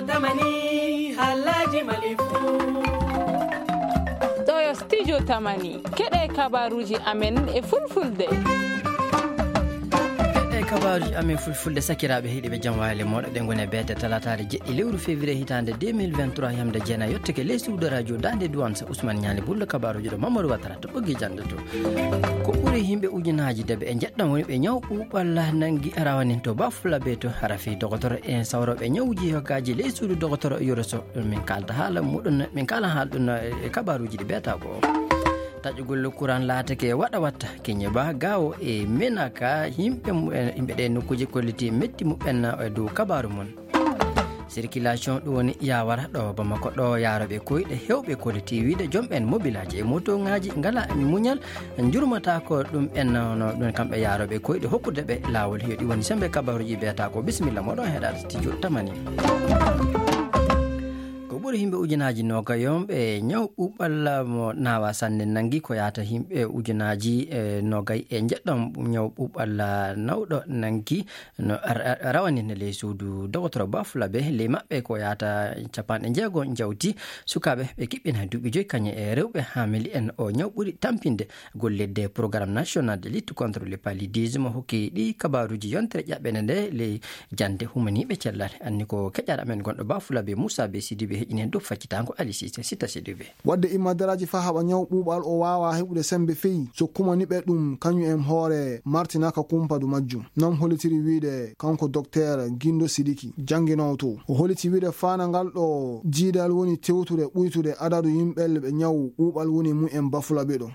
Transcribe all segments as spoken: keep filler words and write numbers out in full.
Tamani, halaji malifu. Ɗo yo studio Tamani. Keɗe kabaruji amen e fulfulde. Keɗe kabaruji amen fulfulde, sakiraaɓe heɗiɓe jam wayale moɗo. Ɗe ngone beete talataare jeɗɗi lewru février hitaande deux mille vingt-trois, yamde jeena yottake ley suudu radio Daande Duwan sa Ousmane Ñaali Bullo, kabaruji ɗo Mamadou Watara to ɓoggi jande to. Ko ɓuri yimɓe ujunaaji deɓe e njeɗɗam woni ɓe ñaw ɓuuɓal nangi rawanin to Bafulabe to. Hara fii dogotoro en sawrooɓe ñawuji yogaaji ley suudu dogotoro Yoroso. Ɗum min kaalta haala muɗum, min kaala haala ɗum e kabaruji ɗi beeta ko. Taƴugol kuran laatake waɗa watta keñe ba gawo e menaka yimɓe mu-, yimɓe ɗe nokkuji kolliti metti muɓɓen e dow kabaru mum. Circulation ɗum woni yawara ɗo Bamako ɗo yaroɓe koyɗe hewɓe kolliti wiide joom ɓen mobilaji e moto ngaji ngala muñal, jurmata ko ɗum en no ɗum kamɓe yaroɓe koyɗe hokkude ɓe lawol. Yo ɗi woni sembe kabaruji beeta ko. Bisimilla moɗon heɗade studio Tamani. Ko ɓuri yimɓe ujunaji nogay on ɓe ñaw ɓuɓal mo nawa sanne nangi ko yata yimɓe ujunaji, e, nogay e jeɗɗam ñaw ɓuɓal nawɗo nangi no ar-, ar-, rawani ne ley suudu dogotoro Bafulabe. Ley maɓɓe ko yata capanɗe jeego jawti sukaɓe ɓe kiɓɓina duuɓi joyi kañe e rewɓe hamili en o ñaw ɓuri tampinde. Gollirde Programme National de Lutte contre le Paludisme hokki ɗi kabaruji yontere ƴaɓɓene nde ley jande humaniɓe cellal. Anni ko keƴal amen gonɗo Bafulabe Moussa Be Sidibe heƴini en dow faccitango Ali Cissé Sita Sidibe. Wadde immadaraji fa haɓa ñaw ɓuuɓal o wawa heɓude sembe feyi so kumaniɓe ɗum kañum en hoore Martinaka Kumpadu majjum. Non holitiri wiide kanko Docteur Gindo Sidiki, jannginoowo to. O holiti wiide faana ngal ɗo jiidal woni tewtude ɓuytude adadu yimɓe ɓe ñaw ɓuuɓal woni mumen Bafulabe ɗo.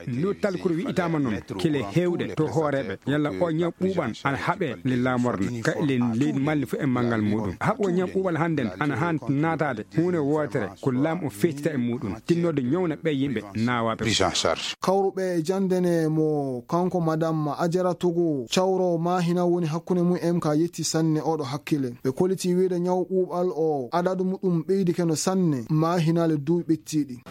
Ndu talkuru wi'itaama noon kile heewɗe to hooreeɓe, yalla o ñaw ɓuuɓan ana haɓee le laamorde, ka le leydi Mali fof e manngal muuɗum. Haɓo ñaw ɓuuɓal hannden ana haan naataade huunde wootere ko laam o feccita e muuɗum, tinnoode ñawna ɓee yimɓe naawaaɓe. Kawruɓe e jannde ne mo kanko Madame Ajara Togo cawro Mahina woni hakkunde mum M K yetti sanne oɗo hakkile. Ɓe koliti wiide ñaw ɓuuɓal o adadu muɗum ɓeydike no sanne Mahina le duuɓi ɓettiiɗi.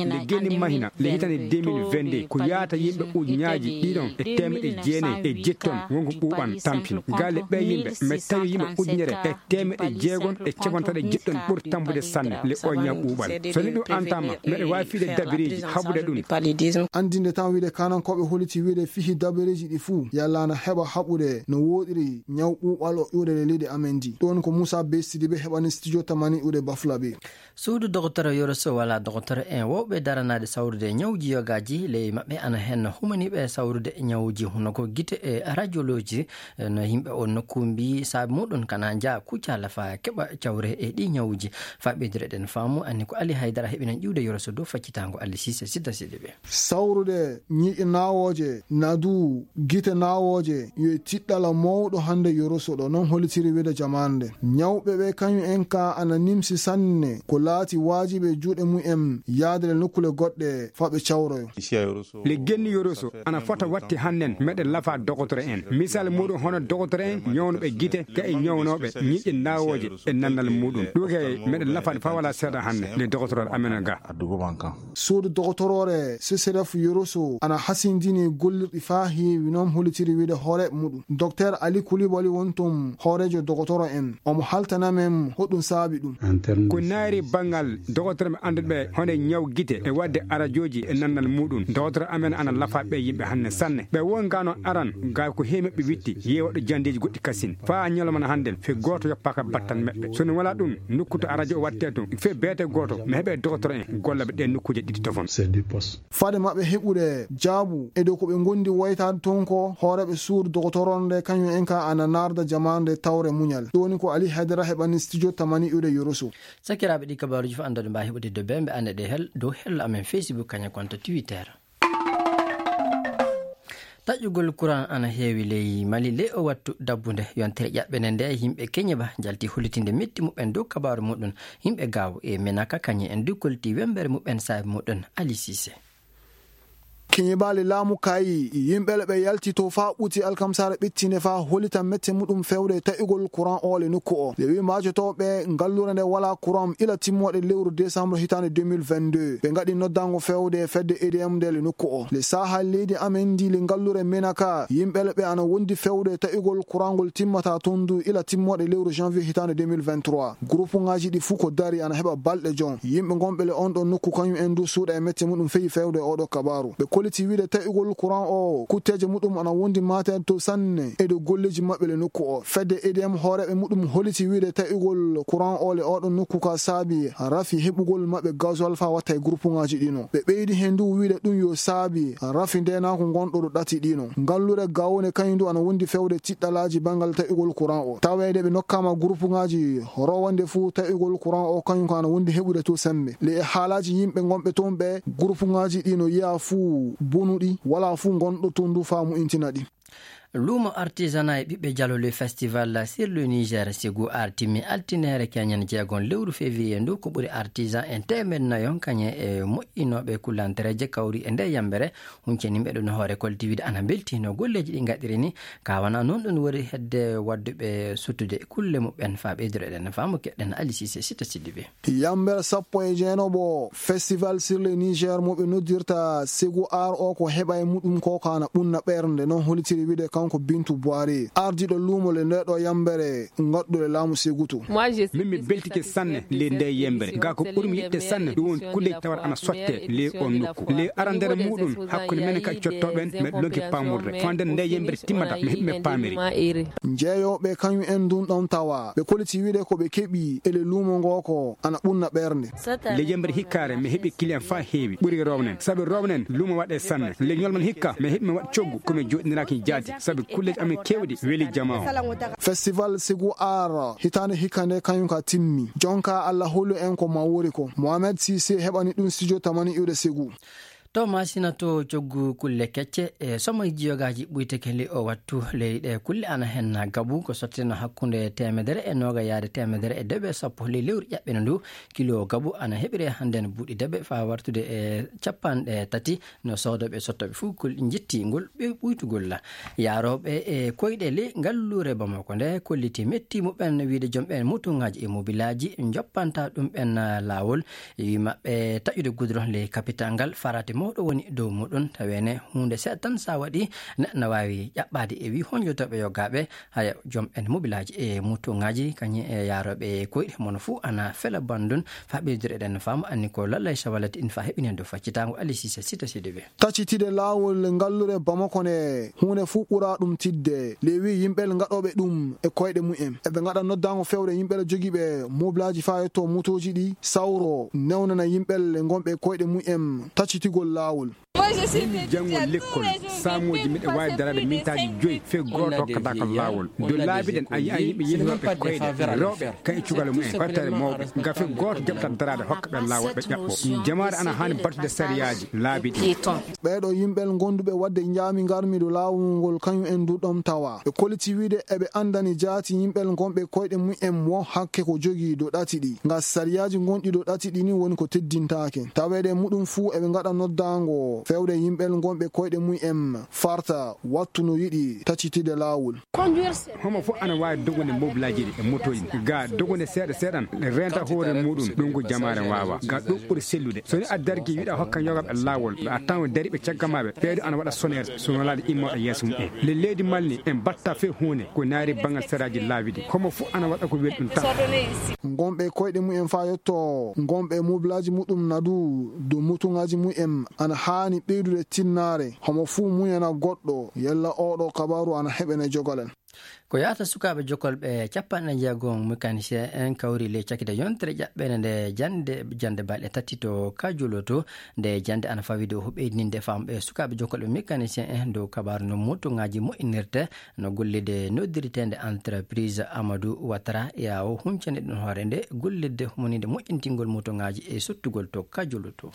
Nde genni Mahina le hitande deux mille vingt-deux ko yaata yimɓe ujuñaaji ɗiɗon e teemeɗe jeenayi e jetton wonko ɓuuɓan tampini. Galle ɓee yimɓe mi tawi yimɓe ujunere e teemeɗe jeegon e capantaɗe jeɗɗon ɓuri tampude sanne le o ñaw ɓuuɓal. So ni ɗum antama, meɗe waawi fiide dabireeji haɓude ɗum. Andinde tan wiide kanankooɓe holiti wiide fihi dabireeji ɗi fuu, yalla ana heɓa haɓude no wooɗiri ñaw ɓuuɓal o iwde le leydi amen ndi. Ɗum woni ko Moussa Be Sidibe heɓani studio Tamani iwde Bafulabe. Suudu dogotoro Yoroso wala dogotoro en wowɓe daranaade sawrude ñawji yogaaji ley maɓɓe ana hen humaniɓe sawrude ñawji hono ko gite e radiologie. No yimɓe on nokku mbi saabi muɗum kana nja kuccala fa keɓa cawre e ɗi ñawuji. Fa ɓeydire ɗen faamu anni ko Ali Haydara heɓinan ƴiwde Yoroso dow faccitango Ali Sise Sidda Sidibe. Sawrude ñiiƴe naawooje, nadu, gite naawooje, yo e tiɗɗala mawɗo hannde Yoroso ɗo, non holitiri wiide jamaande. Ñawɓe ɓe kañum en ka ana nimsi sanne, ko laati waajibi e juuɗe mum en yaade le nokkule goɗɗe, fa ɓe cawroyo. Le genni Yoroso ana fota watti hannden meɗen lafa dogotoro en. Misal muɗum hono dogotoro en ñawnuɓe gite, ka e ñawnooɓe ñiiƴe naawooje e nannal muɗum. Ɗum kay meɗen lafaade fa wala seeɗa hannde le dogotoro amen ga. Suudu dogotoroore C C D F Yoroso ana hasindini gollirɗi faa heewi, noon holitiri wiide hooreeɓe muɗum. Docteur Ali Coulibaly woni toon hooreejo dogotoro en. Omo haltana men hoɗum saabi ɗum. Ko naayri banngal dogotoro ɓe annduɓe hono ñaw gite e waɗde arajooji e nannal muɗum. Dogotoro amen ana lafa ɓe yimɓe hannde sanne. Ɓe won ga noon aran ga ko heewi maɓɓe witti yeewa ɗo janndeeji goɗɗi kasin. Faa ñalawma hannde fe gooto yoppaaka battal maɓɓe. So no wala ɗum, nokku to arajo o watte to, fe beete gooto, mi heɓe dogotoro en gollaɓe ɗe nokkuuje ɗiɗi tofon. Fade maɓɓe heɓude jaabu e dow ko ɓe ngondi woytaade toon ko, hooreeɓe suudu dogotoro nde kañum en ka ana naarda jamaande tawre muñal. Ɗum woni ko Ali Haydara heɓani studio Tamani iwde Yoroso. Sakiraaɓe ɗi kabaaruuji fof anndude mbaawi heɓude dow ɓe, ɓe annde ɗe hel-, dow hello amen Facebook kañum konto Twitter. Taƴƴugol kuran ana heewi ley Mali ley o wattu dabbunde. Yontere ƴaɓɓene nde, yimɓe Keñe ba njalti hollitinde metti muɓɓen dow kabaaru muɗum. Yimɓe Gaawo e Menaka kañum en du kolti wembere muɓɓen saabi muɗum. Ali Sise. Keñibaali laamu kayi, yimɓe le ɓe yalti to faa ɓuti alkamsaare ɓittinde faa holita mette muɗum fewde taƴugol kuran o le nokku o. Ɓe wii maacotooɓe ngalluure nde walaa kuran ila timmooɗe lewru desambre hitaande deux mille vingt-deux. Ɓe ngaɗi noddaango fewde fedde E D M nde le nokku o. Le saaha leydi amen ndi le ngalluure Menaka, yimɓe le ɓe ana wondi fewde taƴugol kuran ngol timmata toon du ila timmooɗe lewru janvier hitaande deux mille vingt-trois. Gurupuŋaaji ɗi fuu ko dari ana heɓa balɗe jon. Yimɓe ngonɓe le on ɗon nokku kañum en du suuɗa e mette muɗum feyi fewde oɗo kabaaru. Ɓe koliti wiide taƴugol kuran o, kutteeje muɗum ana wondi maate to sanne e dow golleeji maɓɓe le nokku o. Fedde E D M hooreeɓe muɗum holiti wiide taƴugol kuran o le oɗo nokku ka saabi rafi heɓugol maɓɓe gasoil faa watta e gurupuŋaaji ɗino. Ɓe ɓeydi heen du wiide ɗum yo saabi rafi ndeenaaku ngonɗo ɗo ɗati ɗino. Ngalluure Gawone kañum du ana wondi fewde tiɗɗalaaji banngal taƴugol kuran o. Taweede ɓe nokkaama gurupuŋaaji rowande fuu taƴugol kuran o kañum ko ana wondi heɓude to semmbe. Le e haalaaji yimɓe ngonɓe toon ɓe, gurupuŋaaji ɗi no yiya fuu bonuɗi, walaa fuu ngonɗo toon du faa mu'intina ɗi. Luumo artisanat e ɓiɓɓe Jalo le festival sur le Niger Ségou artimi altine keñen jeegon lewru février ndu. Ko ɓuri artisan en teemeɗɗe nayo kañe e moƴƴinooɓe kulantereeje kawri e nde yambere. Hunceniiɓe ɗum hoore kolti wiide ana mbelti no golleeji ɗi ngaɗiri ni, ka wona noon ɗum woni hedde wadduɓe suttude kulle muɓɓen faa ɓeydoro eɗen faamu keɗɗen Ali Cissé Sita Sidibé. Yambere sappo e jeenooɓo festival sur le Niger mo ɓe noddirta Ségou Art o ko heɓa e muɗum ko ka ana ɓunna ɓernde, noon holitiri wiide kanko Bintu Boiré, ardiiɗo luumo le nde ɗo yambere ngaɗɗule laamu Ségou to. Min mi beltike sanne le nde yembere, ga ko ɓurmi yiɗde sanne ɗum woni kulle tawar ana sotte le on nokku. Le arandere muɗum hakkunde men e kadi cottooɓe en, meɗe lonki paamurde fande nde yembere timmata, mi heɓi mi paamiri. Jeeyooɓe kañum en ndun ɗon tawa ɓe koliti wiide ko ɓe keɓi e le luumo ngo ko ana ɓunna ɓernde. Le yembere hikkaare mi heɓi client faa heewi ɓuri rownen, sabi rownen luumo waɗe sanne. Le ñolman hikka mi heɓi mi waɗ coggu ko mi jooɗiniraaki jaati, sabi kulleeji amen keewɗi weli jamaa o. Festival Ségou Art hitaande hikka nde kañum ka timmi. Jonka Alla holu en ko ma wori ko. Mohamed Cissé heɓani ɗum studio tamani iwde Ségou. To Masina to coggu kulle kecce e somo jiyogaaji ɓuyteke li o wattu ley ɗe kulle ana hen gabu ko sottino hakkunde teemedere e nooga yaade teemedere e deɓe sappo ley lewru ƴaɓɓino ndu. Kilo gabu ana heɓire hannden buuɗi deɓe faa wartude e capanɗe tati no soodooɓe e sottooɓe fuu kul-, njetti ngol ɓe ɓuytugol la. Yaarooɓe e koyɗe ley ngalluure Bamako nde kolliti metti muɓɓen wiide jom ɓen motuŋaaji e mobilaaji joppanta ɗum ɓen laawol. E wi maɓɓe taƴude goudron ley capital ngal, farate mawɗo woni dow muɗum. Taweene huunde seeɗa tan sa waɗi, neɗɗo na waawi ƴaɓɓaade e wi honjotooɓe yogaaɓe, haya jom en mobilaaji e mutuŋaaji, kañum e yaarooɓe e koyɗe mon fuu ana fela bandun, faa ɓeydore eɗen faamu anni ko lallay sawalati in faa heɓinen dow faccitaango Ali Cissé Sita Sidibé. Taccitide laawol ngallure Bamako nde, huunde fuu ɓuraa ɗum tiiɗde. Lewi yimɓe ngaɗooɓe ɗum e koyɗe mumen. Eɓe ngaɗa noddaango fewre yimɓe jogiiɓe mobilaaji faa yetto motooji ɗi, sawro, newnana yimɓe ngonɓe koyɗe mumen taccitigol laawol. Min janngo lekkol, saamooji miɗo waawi daraade mintaaji joyi, fee gooto hokkataako laawol. Dow laabi ɗen, a yi'an yimɓe yehi waɗɓe koyɗe, rewɓe, kan e cukalel mumen, ɓattare mawɓe. Ngam fee gooto jaɓataa daraade hokka ɓe laawol ɓe ƴaɓɓoo. Jamaare ana haani battude sariyaaji laabi ɗin. Ɓeeɗo yimɓe gonduɓe waɗde njaami ngarmi dow laawol ngol, kañum en du ɗon tawa. Ɓe kolliti wiide eɓe anndani jaati yimɓe ngonɓe koyɗe mumen wo hakke ko jogii dow ɗati ɗi. Ngam sariyaaji gonɗi dow ɗati ɗi ni woni ko teddintaake. Taweede muɗum fuu eɓe ngaɗa noddaango fewde yimɓe ngonɓe koyɗe mumen farta wattu no yiɗi taccitide laawol. Homo fof ana waawi dogude mobilaaji ɗi e motooji ɗi. Ga dogude seeɗa seeɗan, reenta hoore muɗum, ɗum ko jamaare waawa. Ga ɗum ɓuri sellude. So ni a darki wiɗa hokka yogaɓe laawol, ɓe a tan o dari ɓe caggal ma ɓe. Ɓeeɗo ana waɗa soneer, so nolaade immooɗo yeeso mumen. Le leydi Mali ni, en batta fee huunde, ko naari banngal saraaji laabi ɗi. Homo fof ana waɗa ko weli ɗum tan. Ngonɓe koyɗe mumen faa yetto, ngonɓe mobilaaji muɗum nadu, dow motuŋaaji mumen ana haani ɓeydude tinnaare. Homo fuu muñana goɗɗo, yalla oɗo kabaaru ana heɓene jogolen. Ko yahata sukaaɓe jokolɓe capanɗe jeego mécanicien en kawri ley cakite yontere ƴaɓɓende nde jannde, jannde balɗe tati to Kajoloto. Nde jannde ana fawii dow ɓeydinde famɓe sukaaɓe jokolɓe mécanicien en dow kabaaru no motuŋaaji moƴƴinirte no gollirde noddirteende entreprise Amadou Ouattara, yawo huncani ɗum hoore nde gollirde humaniinde moƴƴintingol motuŋaaji e sottugol to Kajoloto.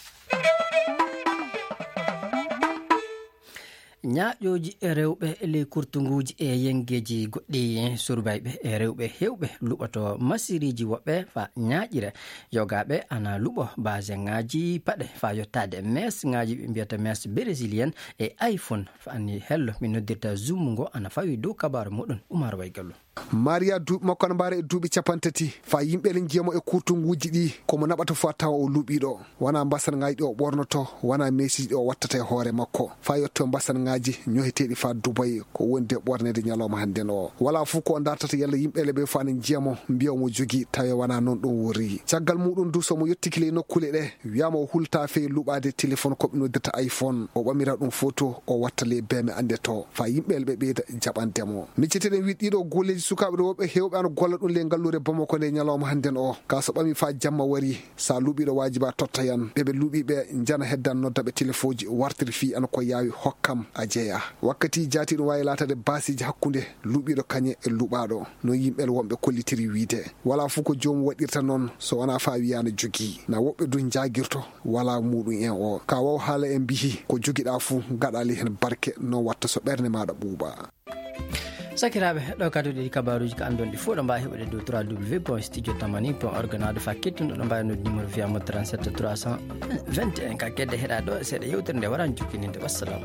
Ñaaƴooji rewɓe e ley kurtunguuji e yengeeji goɗɗi, surbayɓe e rewɓe heewɓe luɓoto masiriiji woɓɓe faa ñaaƴira. Yogaaɓe ana luɓo baseŋaaji paɗe faa yottaade mesŋaaji ɓe mbiyata mes brésilien e iPhone. Faa ni hello mi noddirta Zoom ngo ana fawi dow kabaaru muɗum Umar Waygallo. Maria duuɓi makko ana mbaara e duuɓi capanɗe tati. Faa yimɓe ene njiyamo e kurtunguuji ɗi, ko mo naɓata fof a tawa o luɓiiɗo. Wonaa mbasanŋaaji ɗi o ɓornoto, wonaa meesiiji ɗi o wattata e hoore makko. Faa yetto mbasanŋaaji ñoheteeɗi faa Dubai, ko woni de ɓorneede ñalawma hannden o. Walaa fof ko o dartata yalla yimɓe le ɓe fof ana njiyamo, mbiya omo jogii, tawi wonaa noon ɗum woni. Caggal muɗum du, so mo yottiki ley nokkuule ɗe, wiyama o hulta fee luɓaade téléphone ko ɓe noddirta iPhone, o ɓamira ɗum photo, o watta ley beeme annde to, faa yimɓe le ɓe ɓeyda jaɓande mo. Micceteɗen wiide ɗiɗo golleeji sukaaɓe ɗo woɓɓe heewɓe ana golla ɗum ley ngalluure Bamako nde ñalawma hannden o. Ka so ɓami faa jamma wari, sa luɓiiɗo waajiba totta yan. Ɓe ɓe luɓi ɓe njana heddan nodda ɓe telefooji wartiri fii an ko yaawi hokkam a jeya. Wakkati jaati ɗum waawi laatade baasiiji hakkunde luɓiiɗo kañe e luɓaaɗo. No yimɓe wonɓe kollitiri wiide. Walaa fof ko joomum waɗirta noon so wonaa faa wiyaana jogii. Na woɓɓe du njaagirto walaa muɗum en o. Ka waw haala en mbiyi ko jogiɗaa fof gaɗa ley hen barke no watta so ɓernde maaɗa ɓuuɓa. Sakiraaɓe, ɗo kadi ɗi kabaaruuji ka anndon ɗi fof ɗo mbaawi heɓude dow trois W point studio tamani point org na ɗo faa kettuɗo ɗo mbaawi noddi numéro fiyaamo trente-sept trois cent vingt et un ka kedde heɗa ɗo seeɗa yewtere nde waran jokkininde. Wassalam.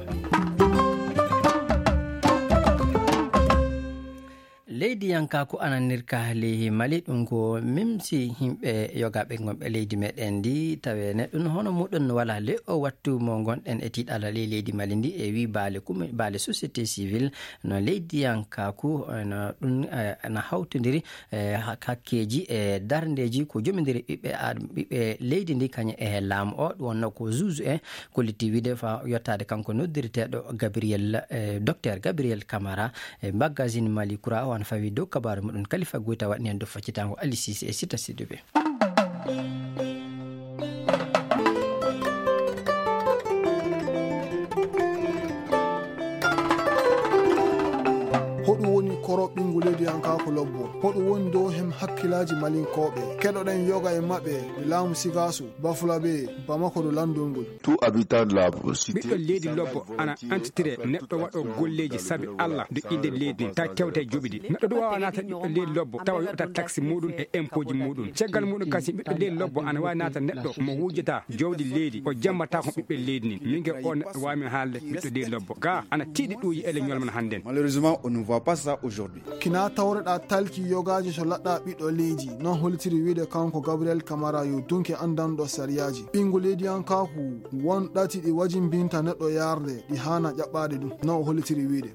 Leydi yanka ko ananirka leyhi Mali ɗum ko mimsi yimɓe yogaaɓe ngonɓe leydi meɗen ndi tawe neɗɗum hono muɗum wala le o wattu mo ngonɗen e tiiɗala ley leydi Mali ndi e wi baale kumi baale société civile. No leydiyankaaku, eh, no ɗum, eh, na hawtindiri, eh, hak-, hakkeeji e darndeeji ko jomindiri ɓiɓɓe aad-, ɓiɓɓe leydi ndi kañum e laamu o. Ɗum wonno ko juge en kolliti wiide fa yottaade kanko noddirteeɗo Gabriel, eh, Docteur Gabriel Camara e magazine Mali Kura o ana fawi dow kabaaru muɗum. Kalifa Goyta waɗni en dow faccitaango Ali Cissé e Sita Sidibé. Hoɗum woni koro ɓinngu leydiyankaaku lobbo? Hoɗum woni dow hem hakkilaaji malinkooɓe? Keɗoɗen yoga e maɓɓe ɓe laamu Sigaasu, Bafulabe, Bamako ɗo lanndol ngol. Tout habitant de la cité ɓiɗɗo leydi lobbo ana antitire neɗɗo waɗo golleeji sabi Allah do innde leydi ndi tawi tewte joɓidi. Neɗɗo ɗum waawa naata ɓiɗɗo leydi lobbo tawa yoɓata taxe muɗum e impôt ji muɗum. Caggal muɗum kasi ɓiɗɗo leydi lobbo ana waawi naata neɗɗo mo wujata jawdi leydi o jambata ko ɓiɓɓe leydi ndi. Min ke o neɗɗo waawi min haalde ɓiɗɗo leydi lobbo ga ana tiiɗi ɗuuji ele ñolman hannden. Malheureusement, on ne voit pas ça aujourd'hui. Kina tawreɗa talki yogaaji so laɗɗa ɓiɗɗo leydi, non holitiri wiide kanko Gabriel Camara yo dunke anndanɗo sariyaaji. Ɓinngu leydiyankaaku won ɗati ɗi wajimbinta neɗɗo yaarde, ɗi haana ƴaɓɓaade ɗum, non o holitiri wiide.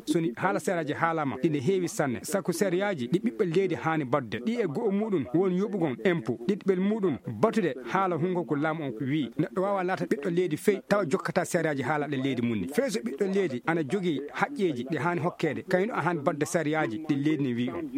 Soni haala sariyaaji haalama, ɗi ne heewi sanne, saku sariyaaji ɗi ɓiɓɓe leydi haani baɗde, ɗi e go'o muɗum won yoɓugol empo, ɗiɗɓel muɗum batude haala hungo ko laamu on wi. Neɗɗo waawa laata ɓiɗɗo leydi fey tawa jokkata sariyaaji haalaɗe leydi mum ni. Fey so ɓiɗɗo leydi ana jogii haqqeeji ɗi haani hokkeede, kayno a haani baɗde sariyaaji ɗi leydi ne wi on.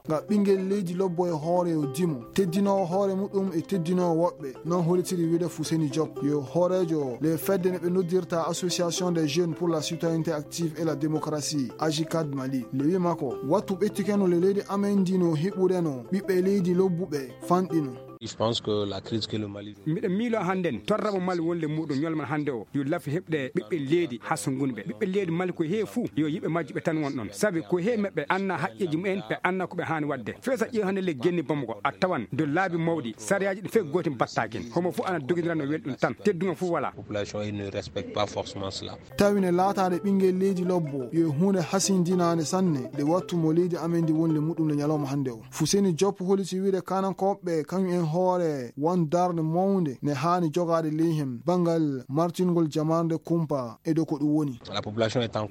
Nga ɓinngel leydi lobbo e hoore yo dimo, teddinoowo hoore muɗum e teddinoowo woɓɓe, non holitiri wiide Fuseni Job, yo hooreejo le fedde ne ɓe noddirta Association des Jeunes pour la Citoyenneté Active et la Démocratie, AJCAD Mali. Le wi makko, wattu ɓettikeno le leydi amen ndi no hiɓureno ɓiɓɓe leydi lobbuɓe fanɗino. Je pense que la crise que le Mali miɗo miilo hannden torramo Mali wonde muɗum ñolman hannde o yo lafi heɓde ɓiɓɓe leydi hasungunɓe. Ɓiɓɓe leydi Mali ko heewi fuu yo yiɓe majjuɓe tan won ɗon, sabi ko heewi maɓɓe anna haqqeeji mumen, ɓe anna ko ɓe haani waɗde. Fesa ƴeew hannde le genni Bamako a tawan do laabi mawɗi sariyaaji ɗi fee gooti battakin, homo fuu ana dogindirano welɗum tan, teddungal fuu wala. Population ne respecte pas forcément cela. Tawi ne laataade ɓinngel leydi lobbo yo huunde hasindinaande sanne nde wattu mo leydi amen ndi wonde muɗum nde ñalawma hannde o. Fuseni Job holiti wiide kanankooɓe kañum en hoore won darnde mawnde ne haani jogaade ley heen banngal martingol jamaarde kumpa e dow ko ɗum woni.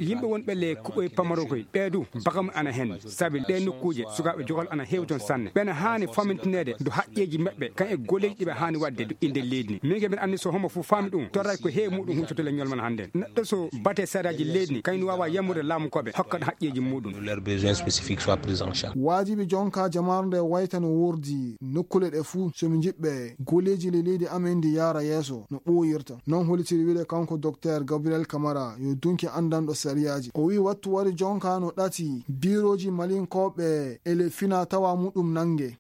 Yimɓe wonɓe le kuɓoy pamarokoy ɓee du bakam ana heen, sabi ɗee nokkuuje sukaaɓe jogol ana heewi toon sanne. Ɓena haani famintineede do haqqeeji maɓɓe kan e golleeji ɗi ɓe haani waɗde do innde leydi ni. Min ke mbiɗa anndi so homo fof faami ɗum torray ko heewi muɗum huccotole ñolman hannde. Neɗɗo so bate saraaji leydi ni kayni waawa yamrude laamu koɓe hokka ɗo haqqeeji muɗum. Leurs besoins spécifiques soient pris en charge. Waajibi jonka jamaare nde wayta no wordi nokkule ɗe fuu so mi njiɓɓe golleeji le leydi amen ndi yaara yeeso no ɓooyirta. Non holitiri wiide kanko Docteur Gabriel Camara yo dunki anndanɗo sariyaaji. O wi'i wattu wari jonka no ɗati biirooji malinkooɓe e le fina tawa muɗum nannge.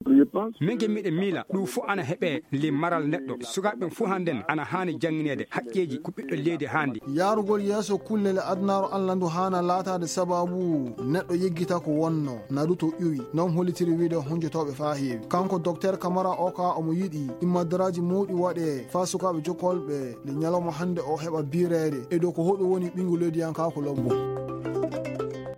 Menge miɗen miila ɗum fof ana heɓee le maral neɗɗo. Sukaaɓe ɓen fof hannden ana haani janngineede haqqeeji ko ɓiɗɗo leydi haandi. Yaarugol yeeso kullel e adunaaru Alla ndu haana laataade sabaabu neɗɗo yeggita ko wonno, naruto ƴuwi. Non hollitiri wiide hunjotooɓe faa heewi. Kanko Dokteer Kamara Oka omo yiɗi immadaraaji mawɗi waɗee faa sukaaɓe jokkolɓe le ñalawma hannde o heɓa biireede e dow ko hoɗum woni ɓiyngu leydiyankaaku lobbo.